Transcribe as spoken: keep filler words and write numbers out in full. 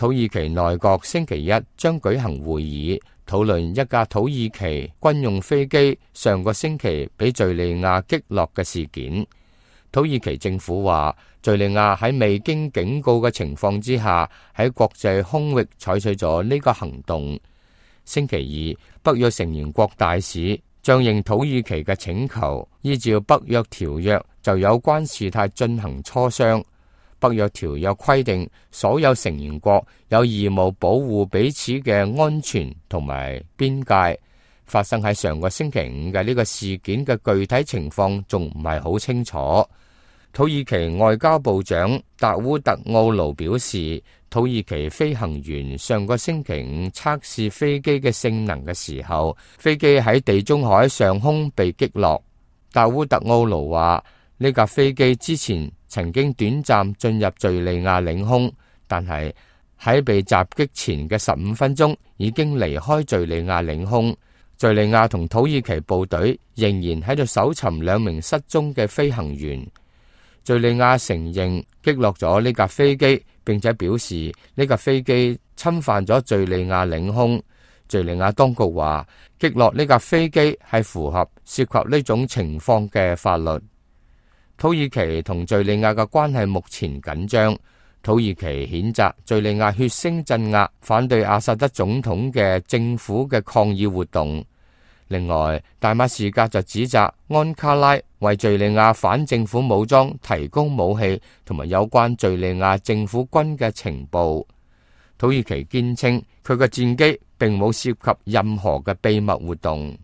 土耳其內閣星期一將舉行會議，討論一架土耳其軍用飛機上個星期被敘利亞擊落嘅事件。土耳其政府話，敘利亞喺未經警告嘅情況之下，喺國際空域採取咗呢個行動。星期二，北約成員國大使將應土耳其嘅請求，依照北約條約就有關事態進行磋商。北約條約規定，所有成員國有義務保護彼此嘅安全同埋邊界。發生喺上個星期五嘅呢個事件嘅具體情況仲唔係好清楚。土耳其外交部長達烏特奧盧表示，土耳其飛行員上個星期五測試飛機嘅性能嘅時候，飛機喺地中海上空被擊落。達烏特奧盧話，呢架飛機之前曾經短暫進入敘利亞領空，但係喺被襲擊前嘅十五分鐘已經離開敘利亞領空。敘利亞同土耳其部隊仍然喺度搜尋兩名失蹤嘅飛行員。敘利亞承認擊落咗呢架飛機，並且表示呢架飛機侵犯咗敘利亞領空。敘利亞當局話，擊落呢架飛機係符合涉及呢種情況嘅法律。土耳其同敘利亞嘅關係目前緊張。土耳其譴責敘利亞血腥鎮壓反對阿薩德總統嘅政府嘅抗議活動。另外，大馬士革就指責安卡拉為敘利亞反政府武裝提供武器同埋有關敘利亞政府軍嘅情報。土耳其堅稱佢嘅戰機並冇涉及任何嘅秘密活動。